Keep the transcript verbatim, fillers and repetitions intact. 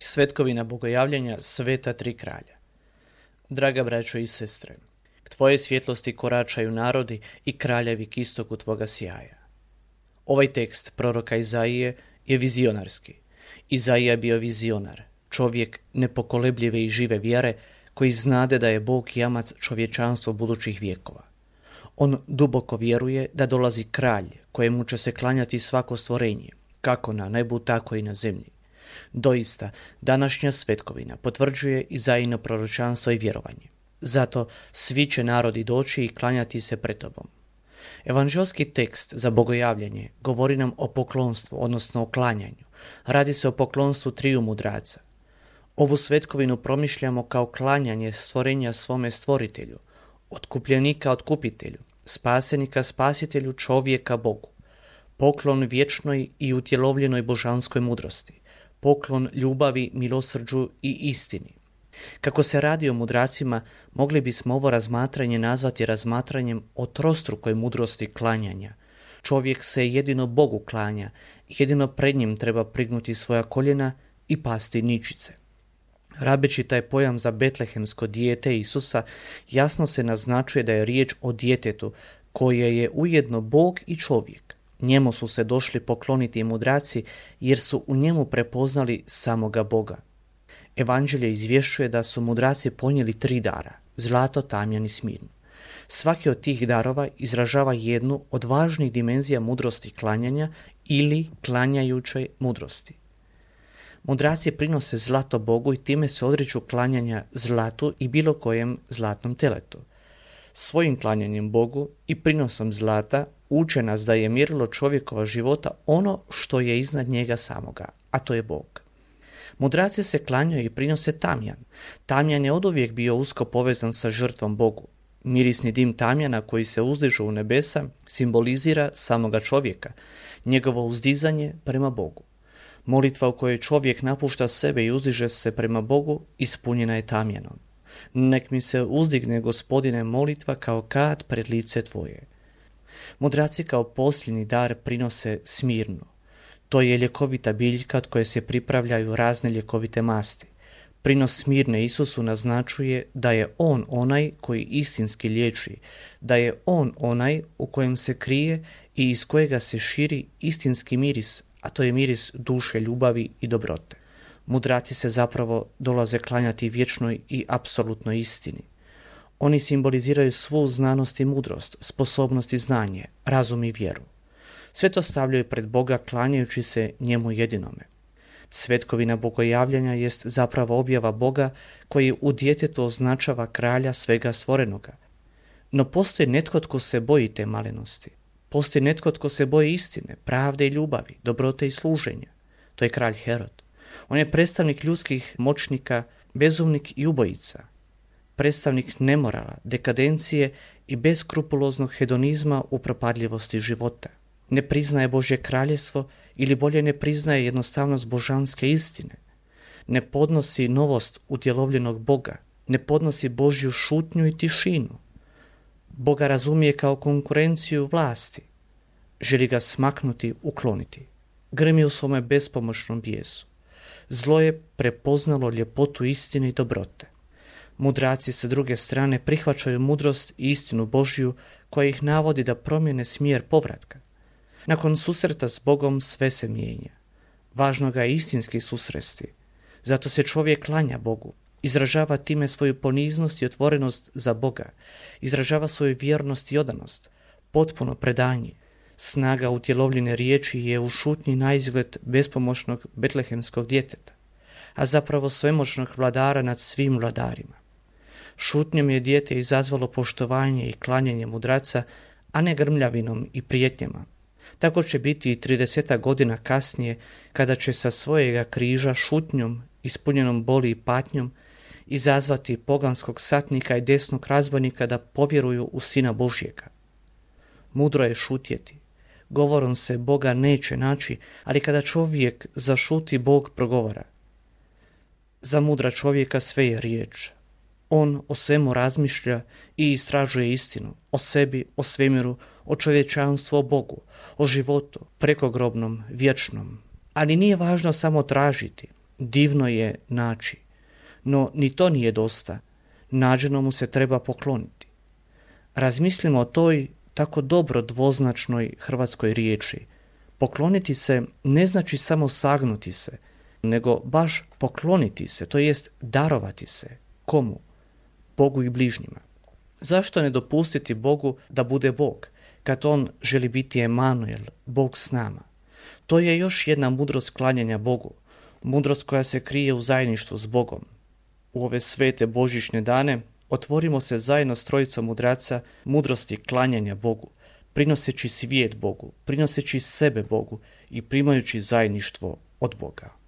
Svetkovina bogojavljanja Sveta tri kralja. Draga braćo i sestre, k tvoje svjetlosti koračaju narodi i kraljevi k istoku tvoga sjaja. Ovaj tekst proroka Izaije je vizionarski. Izaija je bio vizionar, čovjek nepokolebljive i žive vjere koji znade da je Bog jamac čovječanstva budućih vjekova. On duboko vjeruje da dolazi kralj kojemu će se klanjati svako stvorenje, kako na nebu, tako i na zemlji. Doista, današnja svetkovina potvrđuje Izaijino proročanstvo i vjerovanje. Zato svi će narodi doći i klanjati se pred tobom. Evanđelski tekst za bogojavljanje govori nam o poklonstvu, odnosno o klanjanju. Radi se o poklonstvu triju mudraca. Ovu svetkovinu promišljamo kao klanjanje stvorenja svome stvoritelju, otkupljenika otkupitelju, spasenika spasitelju, čovjeka Bogu. Poklon vječnoj i utjelovljenoj božanskoj mudrosti. Poklon ljubavi, milosrđu i istini. Kako se radi o mudracima, mogli bismo ovo razmatranje nazvati razmatranjem o trostrukoj mudrosti klanjanja. Čovjek se jedino Bogu klanja, jedino pred njim treba prignuti svoja koljena i pasti ničice. Rabeći taj pojam za betlehemsko dijete Isusa, jasno se naznačuje da je riječ o djetetu koje je ujedno Bog i čovjek. Njemu su se došli pokloniti i mudraci jer su u njemu prepoznali samoga Boga. Evanđelje izvješćuje da su mudraci ponijeli tri dara, zlato, tamjan i smirnu. Svaki od tih darova izražava jednu od važnih dimenzija mudrosti klanjanja ili klanjajućoj mudrosti. Mudraci prinose zlato Bogu i time se odriču klanjanja zlatu i bilo kojem zlatnom teletu. Svojim klanjanjem Bogu i prinosom zlata uče nas da je mjerilo čovjekova života ono što je iznad njega samoga, a to je Bog. Mudraci se klanjaju i prinose tamjan. Tamjan je oduvijek bio usko povezan sa žrtvom Bogu. Mirisni dim tamjana koji se uzdiže u nebesa simbolizira samoga čovjeka, njegovo uzdizanje prema Bogu. Molitva u kojoj čovjek napušta sebe i uzdiže se prema Bogu ispunjena je tamjanom. Nek mi se uzdigne, Gospodine, molitva kao kad pred lice tvoje. Mudraci kao posljednji dar prinose smirnu. To je ljekovita biljka od koje se pripravljaju razne ljekovite masti. Prinos smirne Isusu naznačuje da je on onaj koji istinski liječi, da je on onaj u kojem se krije i iz kojega se širi istinski miris, a to je miris duše, ljubavi i dobrote. Mudraci se zapravo dolaze klanjati vječnoj i apsolutnoj istini. Oni simboliziraju svu znanost i mudrost, sposobnost i znanje, razum i vjeru. Sve to stavljaju pred Boga klanjajući se njemu jedinome. Svetkovina bogojavljanja jest zapravo objava Boga koji u djetetu označava kralja svega stvorenoga. No postoji netko tko se boji te malenosti. Postoji netko tko se boji istine, pravde i ljubavi, dobrote i služenja. To je kralj Herod. On je predstavnik ljudskih moćnika, bezumnik i ubojica. Predstavnik nemorala, dekadencije i beskrupuloznog hedonizma u propadljivosti života. Ne priznaje Božje kraljevstvo ili bolje ne priznaje jednostavnost božanske istine. Ne podnosi novost utjelovljenog Boga, ne podnosi Božju šutnju i tišinu. Boga razumije kao konkurenciju vlasti. Želi ga smaknuti, ukloniti. Grmi u svome bespomoćnom bijesu. Zlo je prepoznalo ljepotu istine i dobrote. Mudraci sa druge strane prihvaćaju mudrost i istinu Božju koja ih navodi da promijene smjer povratka. Nakon susreta s Bogom sve se mijenja. Važno ga je istinski susresti. Zato se čovjek klanja Bogu, izražava time svoju poniznost i otvorenost za Boga, izražava svoju vjernost i odanost, potpuno predanje. Snaga utjelovljene riječi je u šutnji naizgled bespomoćnog betlehemskog djeteta, a zapravo svemoćnog vladara nad svim vladarima. Šutnjom je dijete izazvalo poštovanje i klanjanje mudraca, a ne grmljavinom i prijetnjama. Tako će biti i tridesetak godina kasnije, kada će sa svojega križa šutnjom, ispunjenom boli i patnjom, izazvati poganskog satnika i desnog razbojnika da povjeruju u Sina Božjega. Mudro je šutjeti. Govorom se Boga neće naći, ali kada čovjek zašuti, Bog progovara. Za mudra čovjeka sve je riječ. On o svemu razmišlja i istražuje istinu, o sebi, o svemiru, o čovječanstvu, o Bogu, o životu, prekogrobnom, vječnom. Ali nije važno samo tražiti. divno je naći. No ni to nije dosta. Nađenomu se treba pokloniti. Razmislimo o toj tako dobro dvoznačnoj hrvatskoj riječi. Pokloniti se ne znači samo sagnuti se, nego baš pokloniti se, to jest darovati se. Komu? Bogu i bližnjima. Zašto ne dopustiti Bogu da bude Bog, kad on želi biti Emanuel, Bog s nama? To je još jedna mudrost klanjanja Bogu, mudrost koja se krije u zajedništvu s Bogom. U ove svete božićne dane otvorimo se zajedno s trojicom mudraca mudrosti klanjanja Bogu, prinoseći svijet Bogu, prinoseći sebe Bogu i primajući zajedništvo od Boga.